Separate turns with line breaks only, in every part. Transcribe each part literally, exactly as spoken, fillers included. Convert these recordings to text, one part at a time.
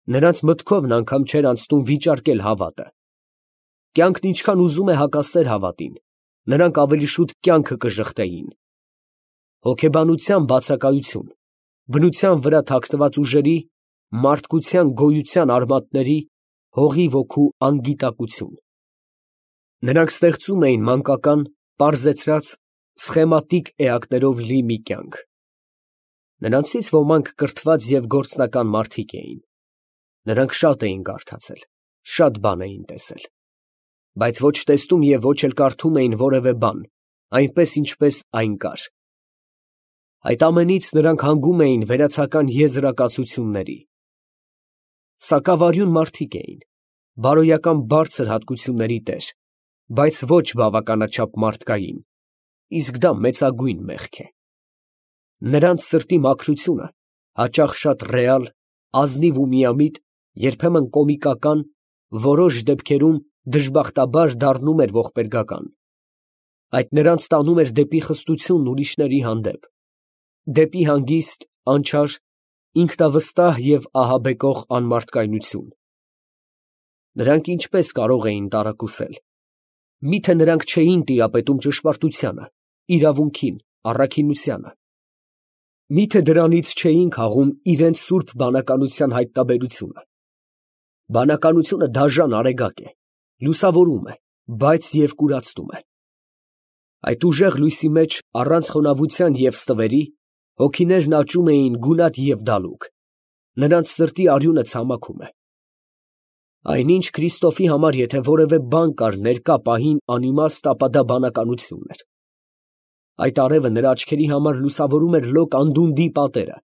Նրանց մտքովն անգամ չէր անցնում վիճարկել հավատը։ Կյանքն ինչքան ուզում է հակասեր հավատին, նրանք ավելի շուտ կյանքը կժխտեին։ Հոգեբանության բացակայություն, բնության վրա թաքնված ուժերի, մարդկության գոյության արմատների, հողի ոգու անգիտակություն։ Նրանք ստեղծում էին մանկական, պարզեցրած, սխեմատիկ էակներով լի մի կյանք։ Նրանցից ոմանք կրթված և գործնական մարդիկ էին։ Նրանք շատ էին կարդացել, շատ բան էին տեսել, բայց ոչ տեսնում և ոչ էլ կարդում էին որևէ բան, այնպես, ինչպես այն կար։ Այդ ամենից նրանք հանգում էին վերացական եզրակացությունների։ Սակավարյուն մարդիկ էին, բարոյական բարձր հատկությունների տեր, բայց ոչ բավականաչափ մարդկային, իսկ դա մեծագույն մեղք է։ Նրանց սրտի մաքրությունը հաճախ շատ ռեալ, ազնիվ ու միամիտ, երբեմն կոմիկական, որոշ դեպքերում դժբախտաբար դառնում էր ողբերգական։ Այդ նրանց տանում էր դեպի խստություն ուրիշների հանդեպ, դեպի հանգիստ, անչար, ինքնավստահ և ահաբեկող անմարդկայնություն։ Նրանք ինչպես կարող էին տարակուսել։ Մի՞թե նրանք չէին տիրապետում ճշմարտությանը, իրավունքին, առաքինությանը։ Մի՞թե դրանից չէին քաղում իրենց սուրբ բանականության հայտնաբերությունը։ Բանականությունը դաժան արեգակ է, լուսավորում է, բայց և կուրացնում է։ Այդ ուժեղ լույսի մեջ, առանց խոնավության և ստվերի, հոգիներն աճում էին գունատ և դալուկ, նրանց սրտի արյունը ցամաքում է։ Այնինչ Քրիստոֆի համար եթե որևէ բան կար ներկա պահին անիմաստ, ապա դա բանականությունն էր։ Այդ արևը նրա աչքերի համար լուսավորում էր լոկ անդունդի պատերը,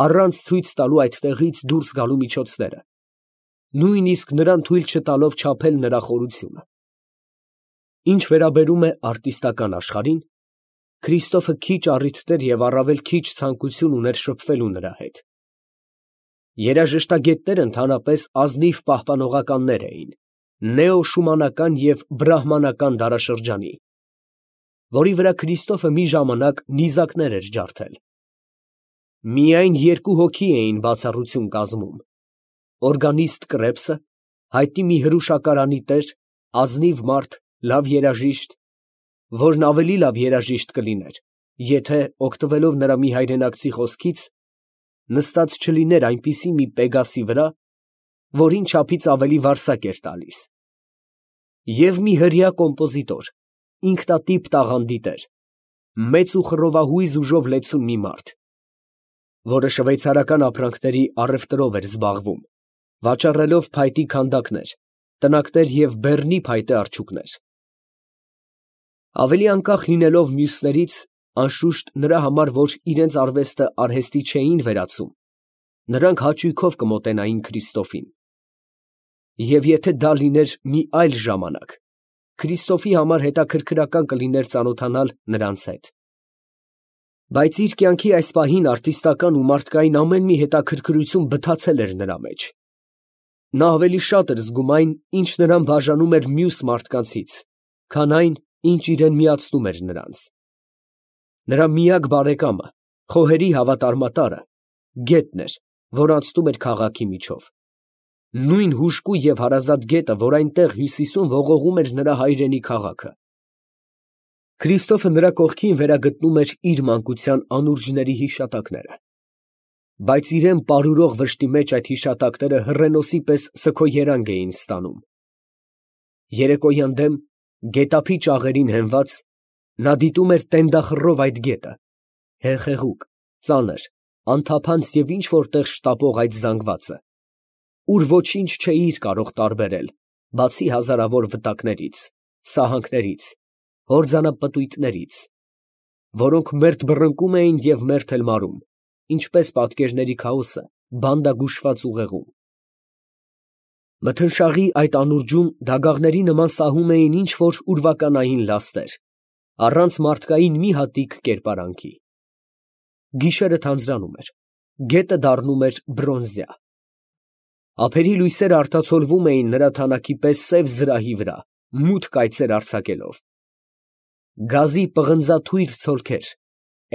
առանց ցույց տալու այդտեղից դուրս գալու միջոցները, նույնիսկ նրան թույլ չտալով չափել նրա խորությունը։ Ինչ վերաբերում է արտիստական աշխարհին, Քրիստոֆը քիչ առիթներ և առավել քիչ ցանկություն ուներ շփվելու նրա հետ։ Երաժշտագետները ընդհանրապես ազնիվ պահպանողականներ էին նեո֊շումանական և բրահմանական դարաշրջանի, որի վրա Քրիստոֆը մի ժամանակ նիզակներ էր ջարդել։ Միայն երկու հոգի էին բացառություն կազմում. օրգանիստ Կրեպսը, հայտնի մի հրուշակարանի տեր, ազնիվ մարդ, լավ երաժիշտ, որն ավելի լավ երաժիշտ կլիներ, եթե, օգտվելով նրա մի հայրենակցի խոսքից, նստած չլիներ այնպիսի մի պեգասի վրա, որին չափից ավելի վարսակ էր տալիս, և մի հրեա կոմպոզիտոր, ինքնատիպ տաղանդի տեր, մեծ ու խռովահույզ ուժով լեցուն մի մարդ, որը շվեյցարական ապրանքների առևտրով էր զբաղվում, վաճառելով փայտի քանդակներ, տնակներ և բեռնի փայտե արջուկներ։ Ավելի անկախ լինելով մյուսներից, անշուշտ նրա համար, որ իրենց արվեստը արհեստի չէին վերածում, նրանք հաճույքով կմոտենային Քրիստոֆին։ Եվ եթե դա լիներ մի այլ ժամանակ, Քրիստոֆի համար հետաքրքրական կլիներ ծանոթանալ նրանց հետ։ Բայց իր կյանքի այս պահին արտիստական ու մարդկային ամեն մի հետաքրքրություն բթացել էր նրա մեջ։ Նա ավելի շատ էր զգում այն, ինչ նրան բաժանում էր մյուս մարդկանցից, քան այն, ինչ իրան միացնում էր նրանց։ Նրա միակ բարեկամը, խոհերի հավատարմատարը, գետն էր, որ անցնում էր քաղաքի միջով։ Նույն հուժկու և հարազատ գետը, որ այնտեղ հյուսիսում ողողում էր նրա հայրենի քաղաքը։ Քրիստոֆը նրա կողքին վերագտնում էր իր մանկության անուրջների հիշատակները, բայց իրան պարուրող վշտի մեջ այդ հիշատակները հռենոսի պես սգոյերանք էին ստանում։ Երեկոյան դեմ, գետափի ճաղերին հենված, նա դիտում էր տենդախռով այդ գետը, հեղեղուկ, ծանր, անթափանց և ինչ֊որ տեղ շտապող այդ զանգվածը, ուր ոչինչ չէիր կարող տարբերել, բացի հազարավոր վտակներից, սահանքներից, հորձանապտույտներից, որոնք մերթ բռնկում էին և մերթ էլ մարում, ինչպես պատկերների քաոսը բանդագուշված ուղեղում։ Մթնշաղի այդ անուրջում դագաղների նման սահում էին ինչ֊որ ուրվականային լաստեր, առանց մարդկային մի հատիկ կերպարանքի։ Գիշերը թանձրանում էր, գետը դառնում էր բրոնզյա։ Ափերի լույսերը արտացոլվում էին նրա թանաքի պես սև զրահի վրա, մութ կայծեր արձակելով։ Գազի պղնձաթույր ցոլքեր,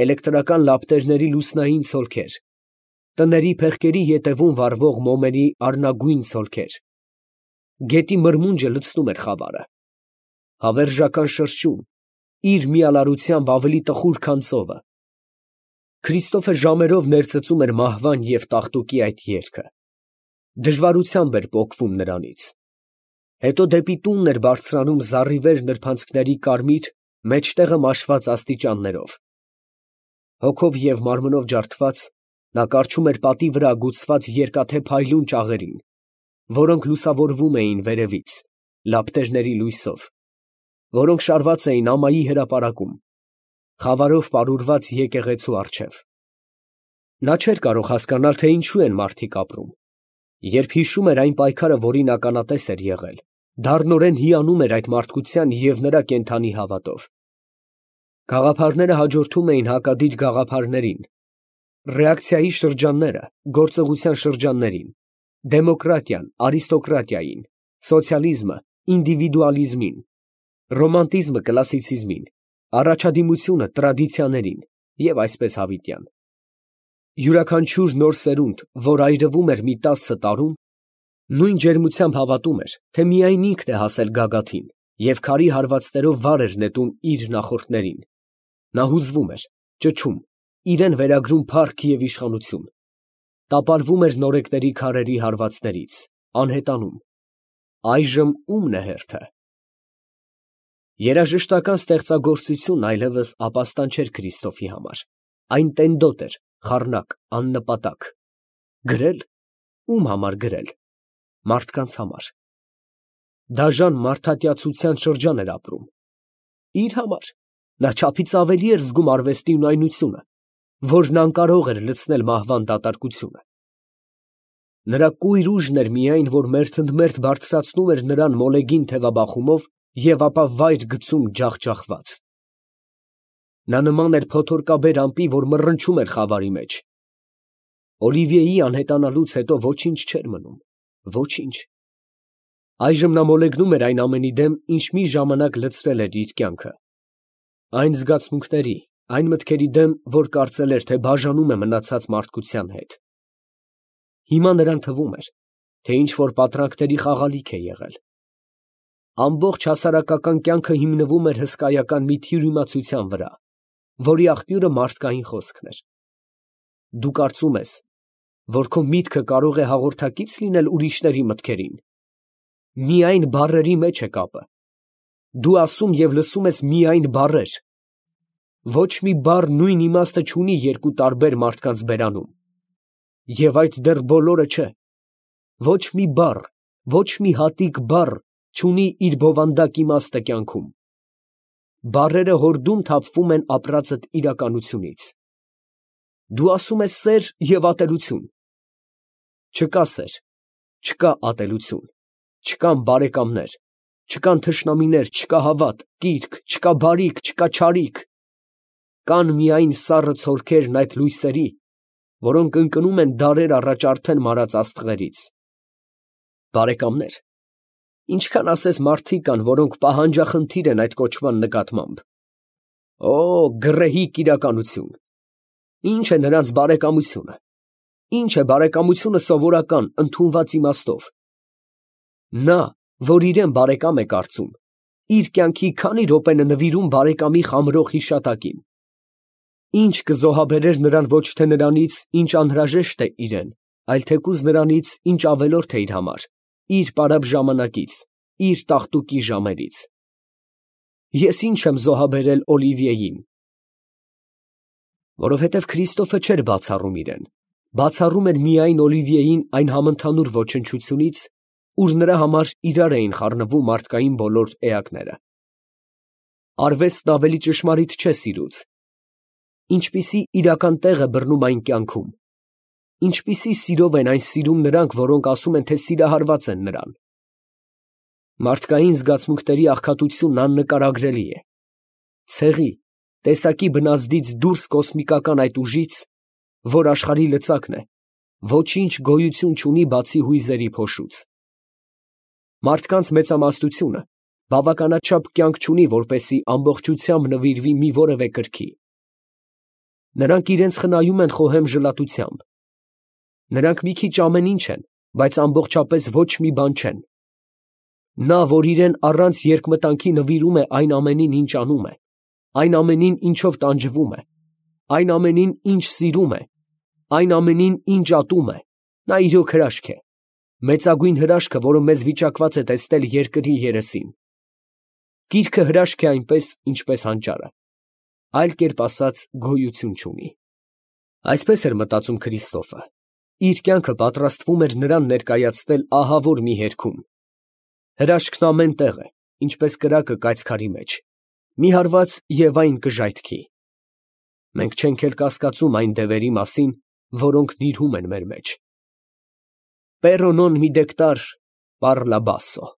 էլեկտրական լապտերների լուսնային ցոլքեր, տների փեղկերի ետևում վառվող մոմերի առնագույն ցոլքեր։ Գետի մրմունջը լցնում էր խավարը։ Հավերժական շրջում, իր միալարությամբ ավելի տխուր, քան ծովը։ Քրիստոֆը ժամերով ներծծում էր մահվան և տաղտուկի այդ երգը, դժվարությամբ էր պոկվում նրանից։ Հետո դեպի տունն էր բարձրանում զառիվեր նրբանցքների կարմիր, մեջտեղը մաշված աստիճաններով։ Հոգով և մարմնով ջարդված, նա կառչում էր պատի վրա ագուցված երկաթե փայլուն ճաղերին, որոնք լուսավորվում էին վերևից, լապտերների լույսով, որոնք շարված էին ամայի հրապարակում, խավարով պարուրված եկեղեցու առջև։ Նա չէր կարող հասկանալ, թե ինչու են մարդիկ ապրում։ Երբ հիշում էր այն պայքարը, որին ականատես էր եղել, դառնորեն հիանում էր այդ մարդկության և նրա կենդանի հավատով։ Գաղափարները հաջորդում էին հակադիր գաղափարներին, ռեակցիայի շրջանները գործողության շրջաններին, դեմոկրատիան արիստոկրատիային, սոցիալիզմը ինդիվիդուալիզմին, ռոմանտիզմը կլասիցիզմին, առաջադիմությունը տրադիցիաներին և այսպես հավիտյան։ Յուրաքանչյուր նոր սերունդ, որ այրվում էր մի տասը տարում, նույն ջերմությամբ հավատում էր, թե միայն ինքն է հասել գագաթին և քարի հարվածներով վար էր նետում իր նախորդներին։ Նա հուզվում էր, ճչում, իրան վերագրում փառք և իշխանություն, տապալվում էր նորեկների քարերի հարվածներից, անհետանում։ Այժմ ո՞ւմն է հերթը։ Երաժշտական ստեղծագործությունն այլևս ապաստան չէր Քրիստոֆի համար, այն տենդոտ էր, խառնակ, աննպատակ։ Գրել, ո՞ւմ համար գրել։ Մարդկանց համար։ Դաժան մարդատյացության շրջան էր ապրում։ Իր համար։ Նա չափից ավելի էր զգում արվեստի ունայնությունը, որն անկարող էր լցնել մահվան դատարկությունը։ Նրա կույր ուժն էր միայն, որ մերթընդմերթ բարձրացնում էր նրան մոլեգին թևաբախումով և ապա վայր գցում ջախջախված։ Նա նման էր փոթորկաբեր ամպի, որ մռնչում էր խավարի մեջ։ Օլիվիեի անհետանալուց հետո ոչինչ չէր մնում, ոչինչ։ Այժմ նա մոլեգնում էր այն ամենի դեմ, ինչ մի ժամանակ լցրել էր իր կյանքը, այն զգացմունքների, այն մտքերի դեմ, որ կարծել էր, թե բաժանում է մնացած մարդկության հետ։ Հիմա նրան թվում էր, թե ինչ-որ պատրանքների խաղալիք է եղել։ Ամբողջ հասարակական կյանքը հիմնվում էր հսկայական մի թյուրիմացության վրա, որի աղբյուրը մարդկային խոսքն էր։ Դու կարծում ես, որ քո միտքը կարող է հաղորդակից լինել ուրիշների մտքերին։ Միայն բառերի մեջ է կապը։ Դու ասում և լսում ես միայն բառեր։ Ոչ մի բառ նույն իմաստը չունի երկու տարբեր մարդկանց բերանում։ Եվ այդ դեռ բոլորը չէ։ Ոչ մի բառ, ոչ մի հատիկ բառ չունի իր բովանդակ իմաստը կյանքում։ Բառերը հորդում թափվում են ապրածդ իրականությունից։ Դու ասում ես սեր և ատելություն։ Չկա սեր, չկա ատելություն, չկան բարեկամներ, չկան թշնամիներ, չկա հավատ, կիրք, չկա բարիք, չկա չարիք։ Կան միայն սառը ցոլքերն այդ լույսերի, որոնք ընկնում են դարեր առաջ արդեն մարած աստղերից։ Բարեկամներ, ինչքան ասես մարդիկ կան, որոնք պահանջախնդիր են այդ կոչման նկատմամբ։ Օ, գռեհիկ իրականություն։ Ինչ է նրանց բարեկամությունը։ Ինչ է բարեկամությունը սովորական, ընդունված իմաստով։ Նա, որ իրեն բարեկամ է կարծում, իր կյանքի քանի րոպեն է նվիրում բարեկամի խամրող հիշատակին։ Ինչ կզոհաբերեր նրան ոչ թե նրանից, ինչ անհրաժեշտ է իրեն, այլ թեկուզ նրանից, ինչ ավելորդ է իր համար, իր պարապ ժամանակից, իր տաղտուկի ժամերից։ Ես ինչ եմ զոհաբերել Օլիվիեին։ Որովհետև Քրիստոֆը չէր բացառում իրեն, բացառում էր միայն Օլիվիեին այն համընդհանուր ոչնչությունից, ուր նրա համար իրար էին խառնվում մարդկային բոլոր էակները։ Արվեստն ավելի ճշմարիտ չէ սիրուց։ Ինչպիսի իրական տեղ է բռնում այն կյանքում, ինչպիսի սիրով են այն սիրում նրանք, որոնք ասում են, թե սիրահարված են նրան։ Մարդկային զգացմունքների աղքատությունն աննկարագրելի է։ Ցեղի, տեսակի բնազդից դուրս կոսմիկական այդ ուժից, որ աշխարհի լծակն է, ոչինչ գոյություն չունի բացի հույզերի փոշուց։ Մարդկանց մեծամասնությունը բավականաչափ կյանք չունի, որպեսզի ամբողջությամբ նվիրվի մի որևէ կրքի։ Նրանք իրենց խնայում են խոհեմ ժլատությամբ, Նրանք մի քիչ ամեն ինչ են, բայց ամբողջապես ոչ մի բան չեն։ Նա, որ իրան առանց երկմտանքի նվիրում է այն ամենին, ինչ անում է, այն ամենին, ինչով տանջվում է, այն ամենին, ինչ սիրում է, այն ամենին, ինչ ատում է, նա իրոք հրաշք է, մեծագույն հրաշքը, որը մեզ վիճակված է տեսնել երկրի երեսին։ Գիրքը հրաշք է այնպես, ինչպես հանճարը, այլ կերպ ասած, գոյություն չունի։ Այսպես էր մտածում Քրիստոֆը, իր կյանքը պատրաստվում էր նրան ներկայացնել ահավոր մի երգում։ Հրաշքն ամեն տեղ է, ինչպես կրակը կայծքարի մեջ, մի հարված և այն կժայթքի։ Մենք չենք էլ կասկածում այն դևերի մասին, որոնք նիրհում են մեր մեջ։ Pero non mi dectar par la basso։